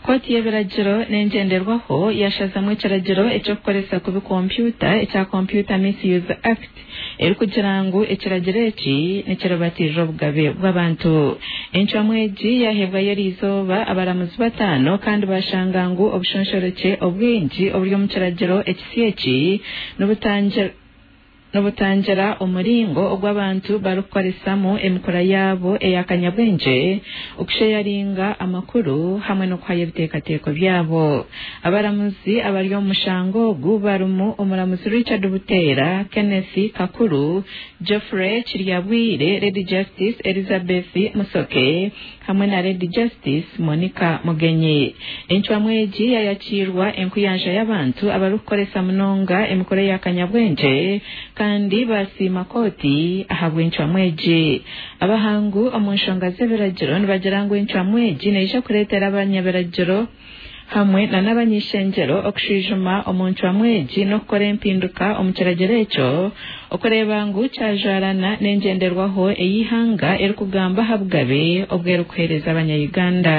Kooti y'ebiragiro n'engyenderwaho yashazamu ekiragiro eky'okukoresa kubi kompyuta ekya Computer Misuse Act erikugira ngu ekiragiro eki nikiribatiirira obugabe bw'abantu. Encwamu egi yaheebwayo eriizooba abaramuzi bataano kandi bashanga ngu obushonshorekye obwingi oburi omu kiragiro ekisya eki nibutangira nibutangira omuringo ogu abantu barikukoresamu emikura yaabo eya kanyabwengye okusheyaringa amakuru hamwe n'okuhayo ebiteekateeko byabo. Abaramuzi abari omu mushango ogu barimu omuramuzi Richard Buteera, Kenneth Kakuru, Geoffrey Kiryabwire, Lady Justice Elizabeth Musoke hamwe na Lady Justice Monica Mugenyi. Encwamu egi yayakiirwa enkuyanja y'abantu abarikukoresa munonga emikura eya kanyabwengye kandi basiima kooti ahabw'encwamu egi. Abahangu omu nshonga z'ebiragiro nibagira ngu encwamu egi neija kureetera abanyabiragiro hamwe na n'abany'ishengyero okushwijuma omu ncwamu egi n'okukora empinduka omu kiragiro ekyo okureeba ngu kyajwarana n'engyenderwaho ey'eihanga erikugamba aha bugabe obwerikuheereza abanya-Uganda.